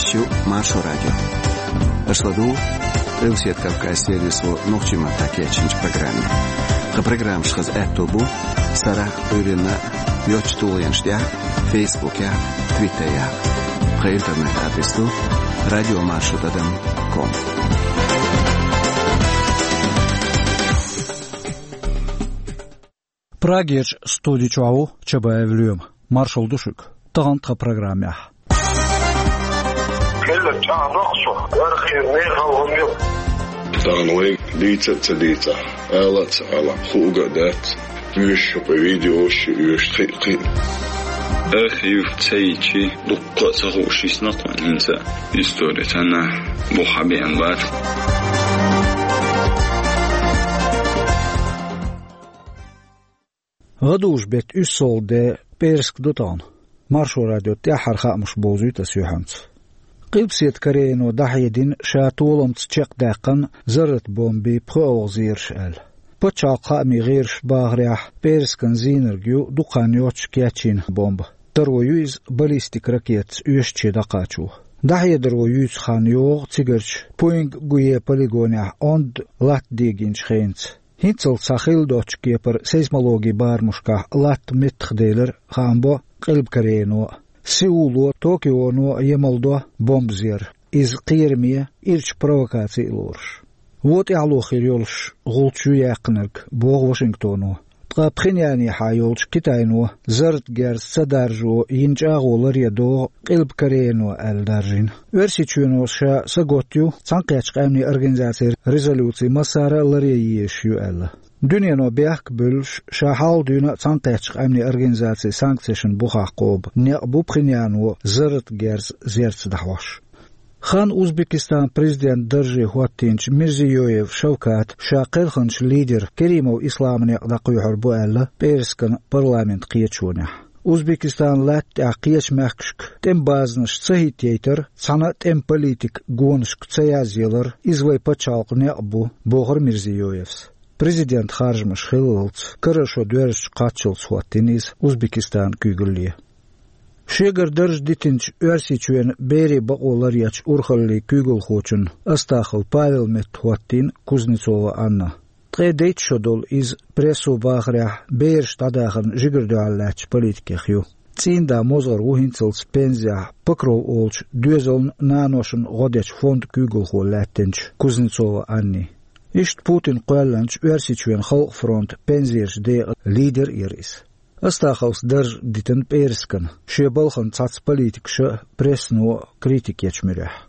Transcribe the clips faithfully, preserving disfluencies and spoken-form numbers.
Шу Маршо радио. Аша ладугӀу Къилбаседа Кавказ сервисо нохчийн маттахь кечйинчу программе. Тхан программаш хаза аьтто бу сарахь а, Ӏуьйранна а йоцчу тулгӀенаш тӀехь а, Фейсбукехь а, Твиттерехь а. Тхан интернет-адрес ду радиомаршо тӀадам ком. Прагерчу студи чохь ву Чабаев Лоьма. Маршалла ду шуьга. Тахана тхан программехь. Хилла чӀагӀдоккху шух, архив мехала хӀума ю. Тахана вайга дийца а ца дийцахь, ала а ца ала, хууга а дац. Оьшуш ю-кх видеош, оьшуш кхин а, кхин а. Архив ца йичи, дуккха а ца хууш йисна тхуна хӀинца. Истори цхьаннахь бухахь беана бац. ГӀадужу-беттан уьссалгӀа де, пӀераска ду тахана. Маршо радион тӀаьххьара хаамаш бовзуьйту аса юьхьанца. Къилбаседа Корейно дӀахьедина ша толамца чекхдаьккхина зарратан бомбийн пхоьалгӀа зераш аьлла. Пачхьалкхан хаамийн гӀирсаша бахарехь, пӀераскан зийнарг ю дукха хан йоццуш кечйина бомба. Таро ю иза баллистик ракетаца оьшучу дӀакхачо. ДӀахьедаро юьйцу хан йогӀу цигарчу Пуинг-Гуе полигонехь онда латта дегийначу хенца. ХӀинццалц цхьа хилла доцчу кепара сейсмологин барамашкахь латта меттахделира, хаам бо Къилба Корейно а. Сеуло а, Токионо а емалдо бомба зер, иза кхераме, ирча провокаци а лоруш. Вон тӀаьхьало хир йолуш гӀулч ю яьккхинарг, боху Вашингтоно. Ткъа Пхеньянехьа йолчу Китайно зарратан герз ца даржо йина чӀагӀо ларъян догӀу Къилба Корейно аьлла даржийна. Оьрсийчоьно ша сагатта ю Цхьаьнакхеттачу Къаьмнийн Организацин резолюци массара а ларъян езаш ю аьлла. Дуьнено бехк а буьллуш, ша хьалха дуьйна а Цхьаьнакхеттачу Къаьмнийн Организацин санкцешна бухахь кхобу некъ бу Пхеньяно зарратан герз зерца дӀахьош. Хан Узбекистанан президентан дарже хӀоттийначу Мирзиёев Шавката ша кхелхинчу лидер Керимов Исламан некъ дӀакхоьхьур бу аьлла, пӀераскан парламентан кхеташонехь. Узбекистанан латта тӀехь кхечу мехкашка тӀеман базанаш ца хӀиттайтар, цхьана а тӀеман политикан гонашка ца язъялар, иза вайн пачхьалкхан некъ бу, бохура Мирзиёевс. Президентан харжамаш хиллалц, карара шо доьрзучу кхаччалц хӀоттийна иза Узбекистанан куьйгалле. Шегара дарж дитинчу Оьрсийчоьнан берийн бакъо ларъечу урхаллин куьйгалхочун Астахов Павелан метта хӀоттийна Кузнецова Анна. Ткъе дейтта шо долу иза, прессо бахарехь, бераш дӀадахарна жигара дуьхьал лаьттачу политикех ю. ЦӀийнда мозгӀар ву хӀинццалц пензехь, Покров олучу доьзална, наношна гӀо дечу фондан куьйгалхо лаьттинчу Кузнецова Анни. Иштта Путина кхоьллинчу Оьрсийчоьнан Халкъан фронтан пензерчу декъан лидер а яра иза. Астаховс дарж дитина пӀераскана, шен балхана цхьацца политикаша а, прессано а критика ечу муьрехь.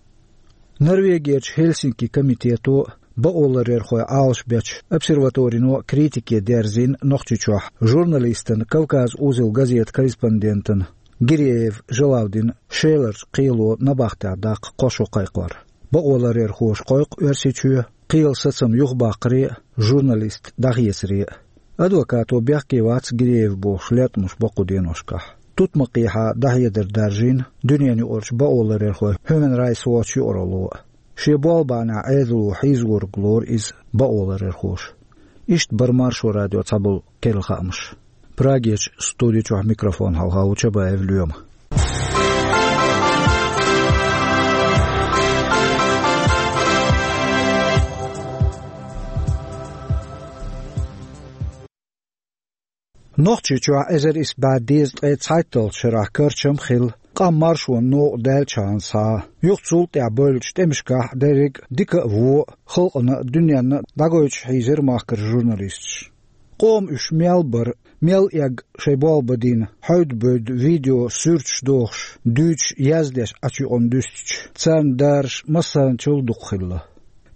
Норвегерчу Хельсинки комитето а, бакъоларъярхой Ӏалашбечу обсерваторино а критике дерзийна Нохчийчохь журналистана Кавказ-Узел газетан корреспондентана Гиреев Жалавдина Шеларчу кхело набахтехь даккха кхо шо кхайкхор. Бакъоларъярхоша кхойкху Оьрсийчоь, кхелан сацам юхабаккхаре а, журналист дӀахецаре а. Адвокато бехке вац Гиреев бохуш латкъамаш бо кху деношкахь. Тутмакхехьа дӀахьедар даржийна дуьненаюкъарчу бакъоларъярхойн Human Rights Watch юкъаралло а. Шен болх бахьанехь Ӏедало хьийзорг лору иза бакъоларъярхоша. Иштта бара Маршо радион цхьаболу керла хаамаш. Прагерчу студи чохь микрофон хьалха ву Чабаев Лоьма. Нохчийчохь эзар исс бӀе дезткъе цхьайтталгӀачу шарахь карчам а хилла, къам маршонан новкъа даьллачхьана схьа, юха цул тӀаьхьа бевллачу тӀемашкахь дерриг а дика а, вон а, халкъана а, дуьненна а дӀагойтуш хьийзира махкара журналисташ. Къоман уьш мел бара, мел эгна шайн болх бан дина, хьаьвда-бевда видео, суьрташ дохуш, дуьйцуш, яздеш Ӏачу юкъана дуьстича, царна дараш массарначул дукха хилла.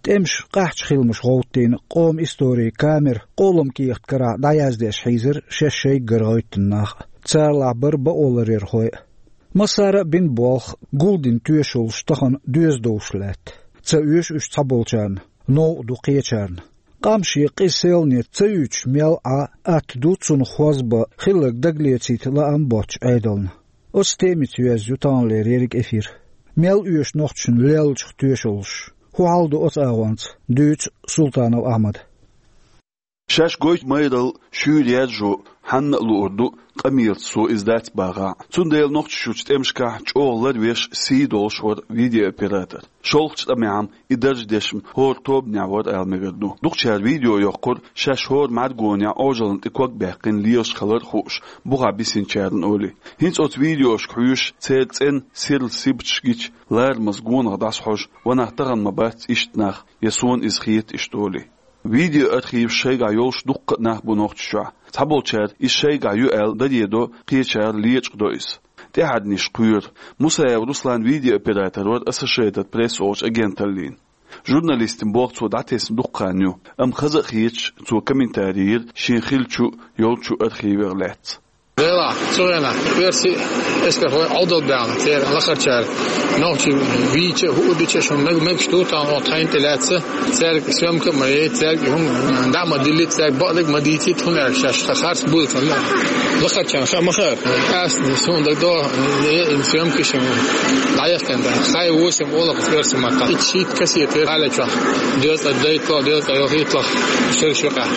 ТӀемаша къаьхьачу хиламаша гӀовттийна къоман историн камера къоламан кехат карахь дӀаяздеш хьийзира шаьш шайгара гӀевттина нах а, царалахь бара бакъоларъярхой а. Массара а бина болх, гулдина тоьшаллаш тахана доьза довш лаьтта. Ца оьшу уьш цхьаболчарна, новкъа ду кхечарна. Къам шен къиза селхане ца юьйцуш мел Ӏа, атта ду цунах хоза бан, хилларг дагалецийта лаам боцчу Ӏедална. Оцу темица йоьзна ю таханлера ерриг эфир. Мел оьшу нохчашна леллачух тоьшаллаш? ХӀун хьал ду оцу агӀонца, дуьйцу Султанов Ахьмада. Шаьш гойту майралла шуьйра яьржо хьанна а луур ду Амирца цо иза дац бахахь. Цундела Нохчийчуьрчу тӀемашкахь чӀогӀа ларвеш, сий долуш вара видеооператор. ШолгӀачу тӀамехь-м и дарж деш-м хӀора тобанехь вара ала мегар ду. Дукхачара видео йоккхура, шаьш хӀора мӀаьргонехь Ӏожаллина тӀе ког баьккхина лелаш хилар а хууш, бухахь бисинчарна олий. ХӀинца оцу видеошка хьоьжуш, церан цӀена сирла сибаташ гича, ларамаза гонах дӀасахьожу: «Ва нах, тахана ма бац иштта нах, я суна иза хета», — иштта олий. Видеоархиваш шайгахь йолуш дуккха а нах бу Нохчийчохь. Цхьаболчара иза шайгахь ю аьлла даре до, кхечара лечкъадо иза. ТӀаьхьарнаш кхоьру. Мусаев Руслан видеооператор вара Associated Press олучу агенталлин. Журналистийн болх цо дӀатесна дуккха хан ю, амма хаза а хеташ, цо комментарий йира шен хиллачу а, йолчу а архивех лаьцна. Делахь, цу хенахь оьрсий эскархой Ӏовдал баьхна, церан лахарчара нохчий вийча а, хӀуъу дича а, шуна мег-, мегаш ду тахана оха тхайна тӀе лаьцна, цаьрга съёмка а ма яйта, цаьрга хӀума дӀа а ма диллийта, цаьрга бакъдерг а ма дийцийта, хӀунда аьлча шаьш тхан харц буьйлу цунна. Лахарчарна хаа ма хаьара. Ас суна дагадогӀу, э, э, съёмкаш дӀаяхкина дара. Хай восемь олу оьрсийн маттахь. Итт шийтта кассета яра хьалечохь. Дезткъе дейтталгӀа, дезткъе ялхитталгӀа шераш юкъахь.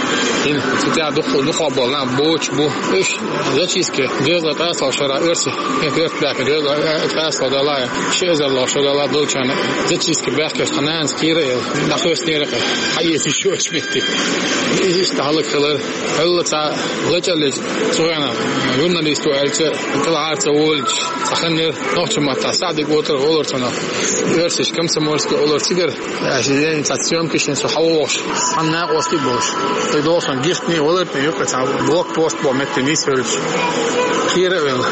ХӀинца цу тӀехь дукха, дукха болу нах боцуш бу. Уьш зачистка, дезткъе ткъаьсталгӀачу шарахь оьрсийн, хӀинца оьрсийн баьхкина, дезткъе ткъаьсталгӀа далахь, ши эзарлагӀа шо далахь долчарна зачистка баьхкина, тхан нанас кхийра а, дӀахоьссинера а, хьаэца йиш йоцуш метте. Иза иштта хӀаллакьхилира. Хьуьлла цхьа лачкъаллича цу хенахь журналист ву аьлча, тӀелахьара ца волучу цхьа хан яра, нохчийн маттахь СаӀди-Котар олура цунах. Оьрсаша Комсомольский олура цигара. Аша ден цхьа съёмкаш йина со хьавогӀуш, цхьана накъостий болуш. Тхо дохуш гихтний валар тӀе юккъе цхьа блокпост бо метте нийсвелча. Кхийра а велла.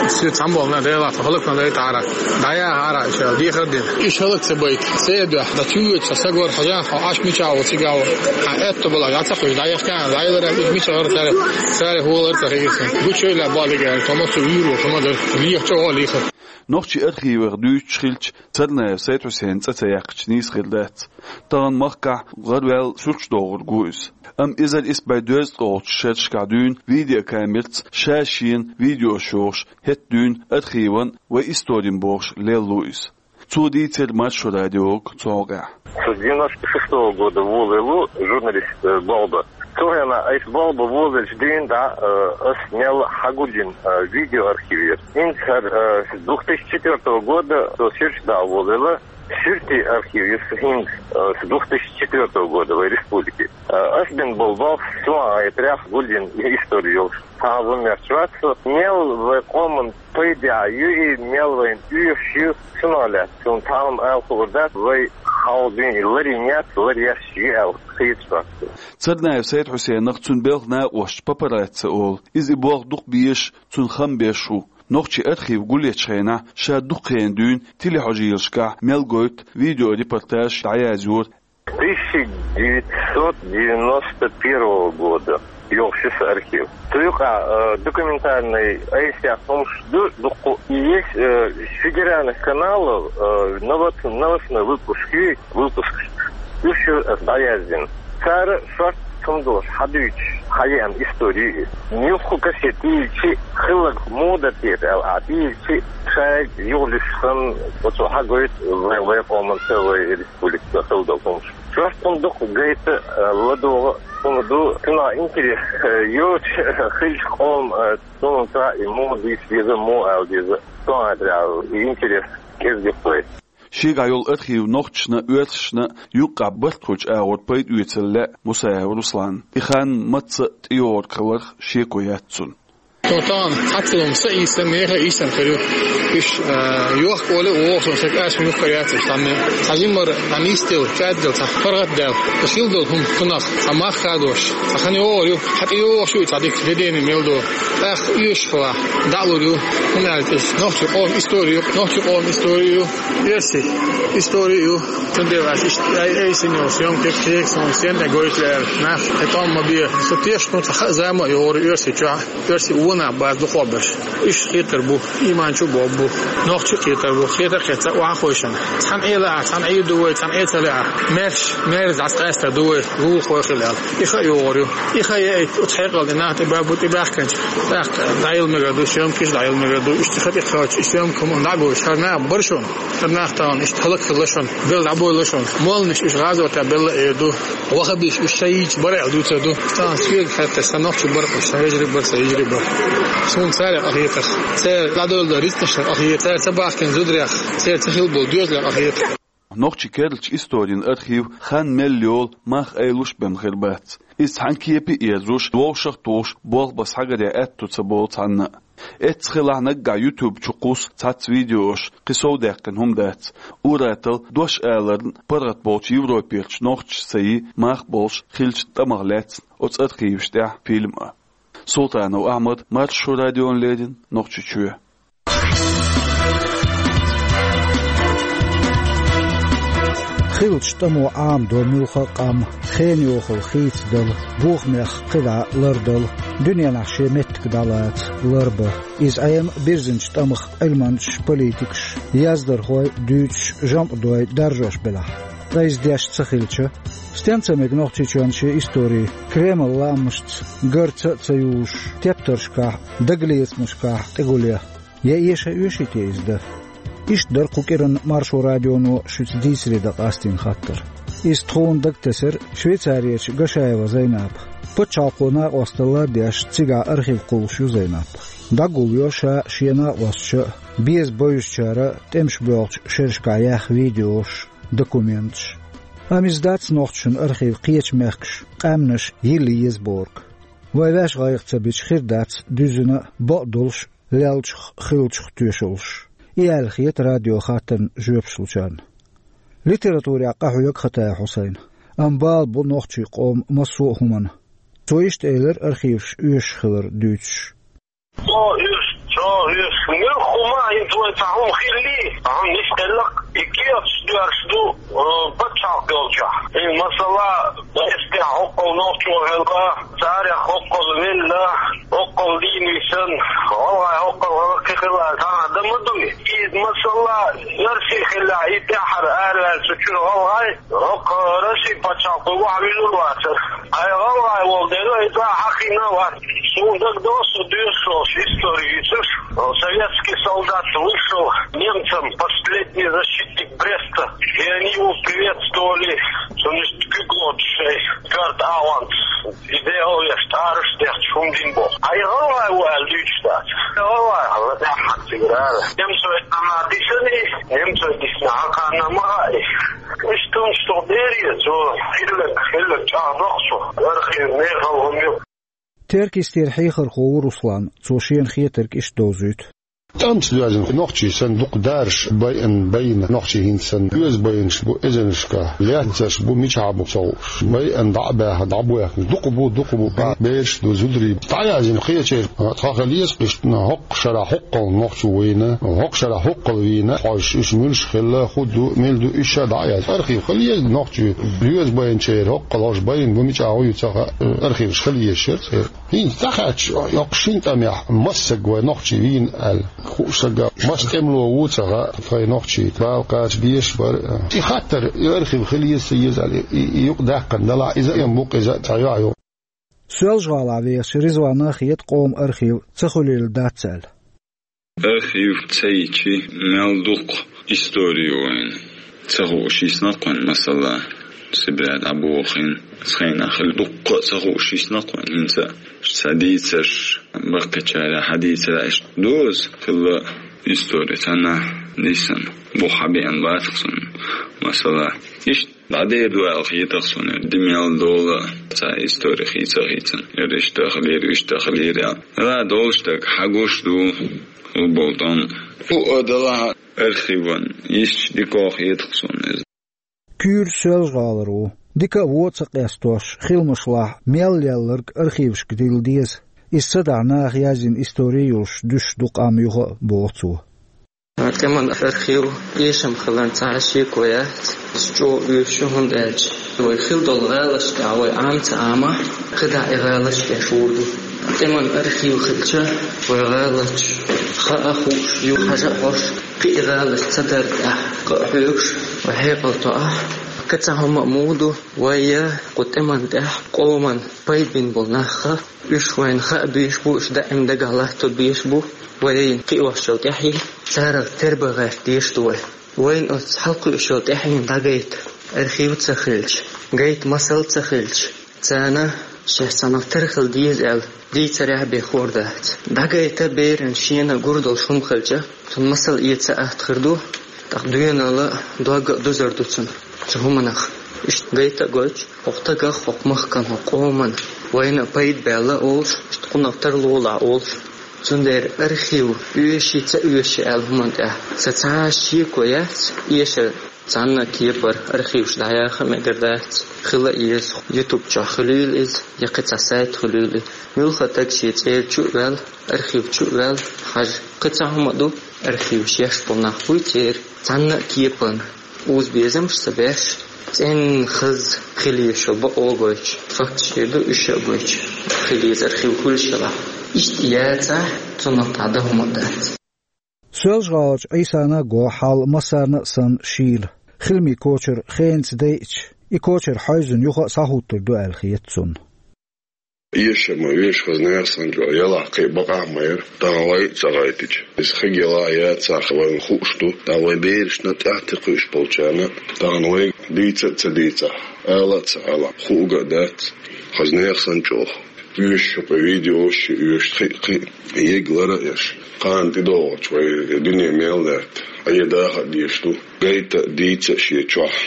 Соьца цхьаьна болу нах, Делахь, тхо хӀаллакьхуьлуш дайтахьара. ДӀаяхьара аша, дехар дина. Уьш хӀаллак ца байта. Церан дуьхьа, дан чу йоьдуш сан сагор хьажахь, хьо Ӏаш мичахь ву цигахь ву. Хьан аьтто балахь, дӀа ца кхуьйсу, дӀаяхкана, дӀайиларехь, уьш мичахь вара цара, цара хӀун валар ца хиира. Гучуйла баьлла гӀерташ, тхо массо а вуьйр ву, хӀума дара. Леха чӀогӀа лехара. Нохчийн архивех дуьйцуш хилча, Царнаев Сайд-Хьусейн цӀа ца яьккхича нийса хир дац. Тахана махкахь гӀараваьлла суьрташ дохург ву иза. Амма эзар исс бӀе дезткъе олучу шерашкахь дуьйна видеокамерца ша-шена видеош йохуш, хӀетта дуьйна архиван вайн историн бохуш лелла ву иза. Цо дийцира Маршо радиога цу хьокъехь. С девяносто шестого года волавелла журналист, э, болх бан. Цу хенахь айса болх бан волавелча дуьйна дӀа, э, ас мел хьагулйина, э, видеоархив яра. ХӀинца хӀара, э, с двух тысячи четвёртого года со суьрташ дӀа а волавелла, суьртийн архив яра сан хӀинца, э, с двух тысячи четвёртого года вайн республике. Э, ас бина болу болх со а гӀайта рехь гулйина истори йолуш. Цхьа а вон мерч вац со. Мел вайн къоман пайде ю и мел вайна оьшуш ю, цунах лаьцна суна цхьа хӀума ала хуур дац, вай хьалха дуьйна ларйина яц, ларъеш ю аьлла хеташ вац. Царнаев Сайд-Хьусейнах цуьнан белхан накъосташа папарацци олу. Иза и болх дукха безаш, цунна хам беш ву. Нохчийн архив гулъечу хенахь ша дукха хенахь дуьйна телехьожийлашкахь мел гойту видеорепортажаш дӀаязйора. Тысяча девятьсот девяносто первого года йолуш ю сан архив. Цу юкъахь, э, документальный айса яьхна хӀумаш ду дуккха. И есть, э, с федеральных каналов, э, новоц-, новостной выпуск ю, выпуск. Уьш ю аса дӀаяздина. Цара шортта хӀума долуш хьадуьйцуш, хьаеана истори ю иза. Муьлхха кассета тӀеийцича, хилларг муха дара те аьлла, а тӀеийцича, шайга юхалуьйш санна, оцо хьагойту вай, вай къоманца, вай республикаца хилла долу хӀумаш. Шортта хӀума дукха гайта, э, ладогӀа хӀума ду, цунах интерес, э, йоцуш хилча къоман, э, цунна цхьа и муха дийца деза, муха ала деза, цунах интерес кӀезиг вай. Шегахь йолу архив нохчашна а, оьрсашна а юккъехь барт хуьлучу агӀор пайда оьцура лаьа Мусаев Русланна. И хан мацца а тӀейогӀург хиларх шеко яц цунна. Со тахана цхьацца хӀума са ийсан, нехан ийсан хир ю. Уьш, а, йохка олий а вогӀу, сан сага аса юхкара яц уьш цхьанне. Цхьа жимма дӀанисделла, кӀаьдделла, цхьа паргӀатдаьлла. Сан хилла долу хӀума цунах, цхьа мах хадош, цхьа хан йогӀур ю, хьан тӀейогӀуш ю и цхьа дика, де дена мел долу. ТӀаккха оьшуш хилахь, дӀа а лур ю, хӀунда аьлча иза нохчийн къоман истори ю, нохчийн къоман истори ю, оьрсийн истори ю. Цундела ас иштта ай-, айсина йолу съёмкаш, кхечу хӀуманаш стенна гойту аьлла, нах хӀетахь ма бе. Со тешна ву, цхьа хаа зама а йогӀур ю Оьрсийчохь, оьрсий вон нах бац дукхахберш. Уьш кхетар бу, иман чу а боху бу, нохчий а кхетар бу, кхета а кхетта охьахойшина. Цхьана Ӏела а, цхьана Ӏийр ду вай, цхьана Ӏе ца лаьа. Маьрша, маьрша дӀасакъаьста ду вай, вуха хила аьлла. И хаа йогӀур ю. И хаа яйта, оцу хьекъал де нах тӀе баьбу тӀебаьхкинчу. ТӀаккха дӀайилла мегар ду, съёмкаш дӀайилла мегар ду. Иштта хатӀе кхаьча, и съёмка хӀума дӀагойташ, хӀара наха бар шоана. ХӀара нах тахан иштта хӀалакхилла шоана. Белла дӀабойла шоана. Молланаш уж гӀазота белла эр ду. Вахабиш уж шоай йийца бар аьлла дувцар ду. Тахан соьга хаьттача, са нохчий бар уж, са вежарий бар, са йижарий бар. Суна царех къахетар. Цар дӀадоладу рицкъашта къахетар. Цар ца бахкина зударех, цар ца хилла болу доьзалех къахетар. Нохчийн керлачу историн архив хан мел йолу мах айлуш бен хир бац. Иза цхьана кепе а ерзош, вовшах а тухуш, болх бан схьагаран аьтто ца болу цхьанна а. Эццахь хилахь наггахь YouTube чу кхуссу цхьацца видеош, кхин сов даьккхина хӀума дац. Ур-атталла дош аларна паргӀат болчу Европерчу нохчашца ца йи мах болуш хиллачу тӀамах лаьцна оцу архиваш тӀехь фильм а. Султанов Ахьмад, Маршо радиона леррина, Нохчийчоь. Хиллачу тӀамо Ӏамадо муьлхха а къам, хенан йохалла хийцадала, бохамех кхидӀа лардала, дуьненахь шен меттиг дӀалаца ларбан. Иза Ӏема бирзинчу тӀамах Ӏилманчаш, политикаш, яздархой, дуьйцуш, жамӀдой даржош белахь. Ткъа иза деш ца хилча, стенна ца мега Нохчийчоьнан шен истори, Кремлан лаамашца гарца а ца юзуш, тептаршкахь, дагалецамашкахь тӀегулъян? Я эша оьший те иза дан? Иштта дара кху кӀиранна Маршо радионо шуьца дийцаре дан къастийна хаттар. Иза тхуна дагатесира Швейцарерчу Гашаева Зайнапа. Пачхьалкхо накъосталла а деш, цигахь архив кхуллуш ю Зайнап. ДӀагулйо ша а, шен накъосташа а, беза бевзачара а тӀемаш боьлхучу шерашкахь яьхна видеош, документаш. Амма иза дац нохчашна архив кхечу мехкаша, къаьмнаша йилла еза бохург. Вай ваьш гӀайгӀа ца бича, хир дац дуьззина а, бакъдолуш а леллачух, хиллачух тоьшаллаш. И аьлла хета радион хаттарна жоьпаш лучарна. Литературехь къахьоьгу Хатаев Хьусайн, амма бала бу нохчийн къоман массо а хӀуманна. Цо иштта элира архиваш оьшуш хилар дуьйцуш. Цо оьшу, цо оьшу. Муьлхха хӀума хӀинца вайн цхьа хӀума хиллий, хьуна нисделларг, и кехаташ доьрзуш ду, э, пачхьалкх йолчохь. И, масала, Эстехь хӀоккхул нохчо хилла, царех хӀоккхул велла, хӀоккхул дийна висна, гӀалгӀай хӀоккхул хилла, кхин хилла, цхьа а дан ма дуй. Иза, масала, Росси хилла, и тӀаьххьара араваьлла цу чуьра гӀалгӀай, хӀокху Россин пачхьалкхо охьавуьйлур вацара. Ай гӀалгӀай волу дела, и цӀа хьахийна а вац. Суна дагадогӀу, со доьшуш долуш истори йийцуш, советский солдат вышел немцам последний защитник Бреста, и они его приветствовали, цунна иштта куьг лоцуш шайн коьрта агӀонца, и дегӀал веш, тӀараш а дехча, хӀума дина боху. Ай гӀалгӀай ву аьлла дуьйцуш дац. ГӀалгӀай хьала тӀаьххьара цигара ара. Немцой цхьанхьа дисина и, немцой дисина хьан кхарна ма хаьа и. Иштта хӀумнаш тхо дерриг, цо хилларг, хилларг чӀагӀдо-кх цо. Архив мехала хӀума ю. Теркйистера хьехархо ву Руслан, цо шена хетарг иштта довзуьйту. ТӀамца доьзна нохчий санна дукха дараш байъина, байна нохчий хӀинца санна. Оьзда байинарш бу эзарнашкахь, лаьцнарш бу мичахь бу ца хууш. Байъина дӀа а баьхна, дӀабоьхкинарш дукха бу, дукха бу. Бераш ду, зударий. ДӀаяздина кхечеран тхан хила еза-кх иштта, хӀокху шарахь хӀоккхул нохчо вийна, хӀокху шарахь хӀоккхул вийна, хьожуш уьш муьлш хилла, хӀун ду, мила ду, уьш ша дӀа а язъян. Архив хила еза нохчийн, оьзда байинчеран хӀоккхул хьожуш байна бу, мичахь ву ю ца хаьа, архиваш хила еза шера церан. ХӀинца дӀахаьттича, йоккхачу шина тӀамехь массаг вай нохчий вийна аьлла, хууш сага, массо а тӀемало ву ца хаьа, тхайн нохчий бала кхача дезаш бара. И хаттар, и архив хила еза, ца еза аьлла, и, и юкъадаьккхина далахь, иза а ма бу-кх, иза а цхьа юьхь ю. Соьлжа-ГӀалахь вехачу Ризвана хета къоман архив ца хуьлийла дац аьлла. Архив ца йича, мел дукха истори ю вайна. Ца хууш йисна-кх вайна, масала, Сибре дӀабохийна, цхьана хилла дуккха а ца хууш йисна-кх вайна, хӀинца а сан дийцарш, баккхийчара хьадийцарш, иштта доза хилла истори цхьаннахьа дисина. Бух хьабеана бац-кх суна, масала. Иштта дӀадер ду аьлла хета-кх суна, ди мел дола цхьа истори хийца а хийцина. Яра иштта хилира, иштта хилира аьлла. Ала долуш дерг хьагуш ду, хӀун болу тӀом. ХӀу а далахь архиван, йисташ дика хета-кх суна иза. Куьйра Соьлжа-ГӀалара ву. Дика а вон а ца къестош, хиламашлахь мел лелларг архивашка дилла деза. Иза ца дахь наха яздина истори йолуш дуьсуш ду къам юха а, боху цо. ТӀеман архив эшам хиларна цхьа а шеко яц, иза чӀогӀа оьшуш ю, хӀунда аьлча вай хилла долу гӀалашкахь вай Ӏама ца Ӏама, кхидӀа и гӀалаш тӀе шур ду. ТӀеман архив хилча, вай гӀалаташ хаа хууш ю, хьажа а хьош, кхин и гӀалаш ца дарра тӀехь къа а хьоьгуш, вай хьекъал тоахь, Кхин цхьа хӀума а ма ду, вай я кху тӀеман тӀехь къоман пайда бина болу нах, уьш вайна хаа безаш бу, уьш даим дагахь латто безаш бу, вайна кхиош йолу тӀаьхье, царах тербан гӀерта дезаш ду вай. Вайна оцу хьалакхуьуш йолу тӀаьхьенна дӀагайта архив ца хилча, гайта масал ца хилча, царна шаьш цхьанах тера хила деза аьлла, дийцарехь а бен хуур дац. ДӀагайта берана шена гур долуш хӀума хилча, цунна масал эца атта хир ду, тӀаккха доьналла а, дог а дузур ду цунна цу хӀуманах. Иштта гайта а гойтуш, хӀокху стагах, хӀокху махкан, хӀокху къоман вайна а пайда баьлла олуш, иштта кхунах тарлолахь олуш. Цундела архив оьший, ца оьший аьлла хӀуманна тӀехь сан цхьа а шеко яц, эшар цхьанна а кепара архиваш дӀаяха а мегар дац, хила а еза, YouTube чохь хуьлийла иза, я кхин цхьа сайт хуьлийла иза. Муьлхха стаг шен цӀера чу а ваьлла, архив чу а ваьлла, хьажа, кхин цхьа хӀума а ду, архиваш еш болу нах буй церан, цхьанна а кепана уза безамаш ца беш, цӀенна хаза хила еза шо бакъо а гойтуш, факташ хир ду уьш а гойтуш, хила еза архив хуьлуш хилахь. Иштта яцахь, цунах дӀа дан хӀума а дац. Соьлжа-ГӀалахь Ӏийсана а го хьал массарна а санна шийла. Хиламийн кочар хенаца дайча, и кочар хьаьвзина юха а схьахӀуттур ду аьлла хета цунна. Эшам а вешан хаза нехан санна чӀогӀа ялахь кхин а бакъахь ма яра, тахана вай а ца гӀайтича. Иза хиг ялахь яцахь вайна хууш ду, тахана вайн берашна а, тӀаьхьа тӀекхуьуш болчарна а, тахана вай дийца а ца дийцахь, ала а ца алахь, хууг а дац, хаза нехан санна чӀогӀа. Оьшуш ю-кх видеош, оьшуш кхин а, кхин а, ег лар а еш. Кхана тӀедогӀучу вай дуьне мел даьтта, Ӏе даха а дезаш ду. Гайта а, дийца а шен чохь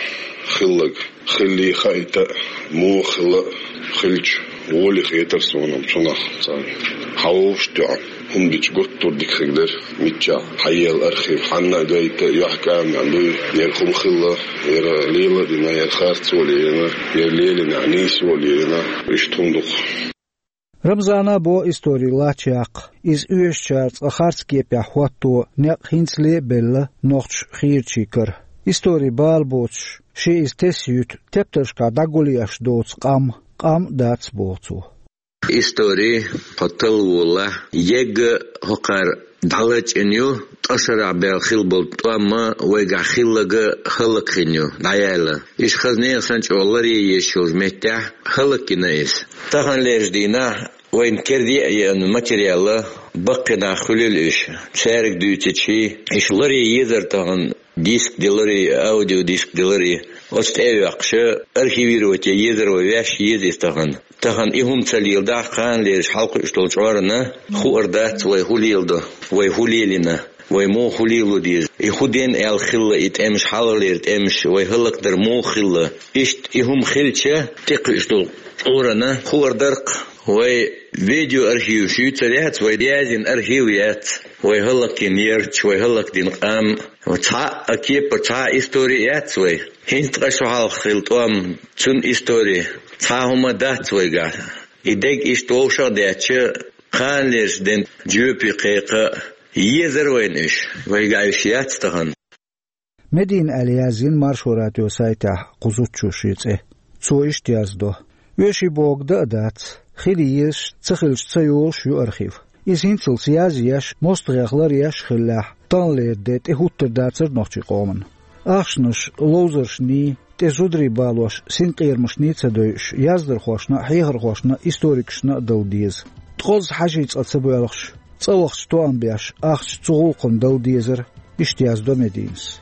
хилларг, хиллий хаийта а, муха хилла а хилча, гӀоле хетара суна-м цунах цхьаьна. Хьан вовшах тоьхна хӀума дича гуттар а дика хир дара, миччахь хьаелла архив, хьанна а гайта а, юьхькӀамехь дуй, яра хӀума хилла, яра лела а дина, яра харцо а лелийна, яра лелийнехь нийсо а лелийна, иштта хӀума ду-кх. Рамзана а бо истори лачча яккха. Иза оьшучара цкъа харц кепехь хӀотто некъ хӀинцале а белла нохчаша хийрачийн кара. Истори бала боцуш, шен иза тесна юьту тептаршкахь дӀагулъеш доцу къам, къам а дац, боху цо. Истори хьо талла волахь, ега хӀокхара дӀалачкъийна ю, ткъа шарахь баьлла хилла болу тӀом а вайгахь хилларг а хӀаллакьхилла ю, дӀаяьлла. Иштта хаза нехан санна чӀогӀа ларъян езаш йолчу меттехь хӀаллакйина иза. Таханлерчу дийнахь вайна керда а еана материал а баккхий нах хуьлийла уьш. Цаьрга дуьйцучий, иштта ларъян езара тахана диск деларий, аудиодиск деларий, оцу тӀе а йоккхуш, архивировать ян езара вай, ваьш еза иза тахана. Тахана и хӀума ца леладахь, кханалерчу хьалакхуьуш долчу Ӏорана хуур дац вай хӀун леладо, вай хӀун лелийна, вай муха хӀун лело деза. И хӀун дина аьлла хилла и тӀемаш, хьалхалера тӀемаш, вай хӀаллакдар муха хилла. Иштта и хӀума хилча, тӀекхуьуш долу Ӏорана хуур дара-кх, вай видеоархиваш юьйцур яц, вай яздина архив яц, вай хӀаллакйина ярташ, вай хӀаллакдина къам. Цхьа а кепара, цхьа а истори яц вай. ХӀинца ткъа шо хьалха хилла тӀом, цуьнан истори, цхьа а хӀума дац вайгахь. И дерг иштта вовшах а детташ, кханалерчу ден жоьпе кхайкха а езара вайна уьш. Вайгахь уьш яц тахана. Медина аьлла яздина Маршо радион сайтехь кху зудчо шен цӀе. Цо иштта яздо: «Оьший бохург дан а дац, хила езаш, ца хилча ца йолуш ю архив. Иза хӀинцалц язъеш, мостагӀех ларъеш а хиллехь, таханлера де тӀехӀуттур дацара нохчийн къоман. Ахчанаш ловзаршний, тӀе зударий балош синкъерамашний ца дойуш, яздархошна а, хьехархошна а, историкашна а дала деза. Ткъозза хьажий цкъа ца боьлхуш, цӀа вахча тоам беш, ахча цу гӀуллакхана дала дезара», — иштта яздо Мединас.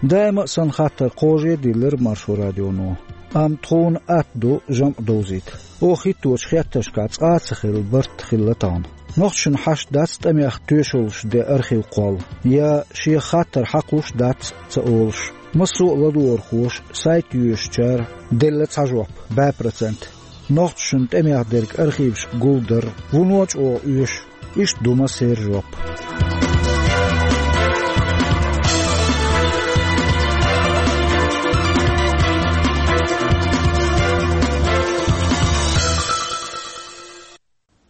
Даима а санна хаттар кхаже а диллира Маршо радионо. Амма тхуна атта ду жамӀ довзийта. Оха хӀитточу хеттаршкахь цкъа а ца хилла барт хилла тахана. Нохчашна хьашт дац тӀамех тоьшаллаш ден архив кхолла, я шех хаттар хьакхуш дац ца олуш. Массо а ладогӀархоша, сайт йоьшучара делла цхьа жоп, бӀе процент. Нохчашна тӀамех дерг архивашка гулдар вуно а чӀогӀа оьшу. Иштта ду массеран жоп.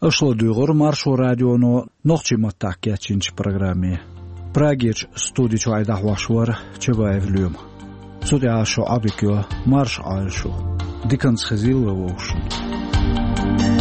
Аша ладуьйгӀира Маршо радионо нохчийн маттахь кечйинчу программе. Прагерчу студи чуьра дӀахьош вара Чабаев Лоьма. Цу тӀехь шун Ӏодика йо, марша Ӏойла шу. Диканца хезийла вай вовшашна.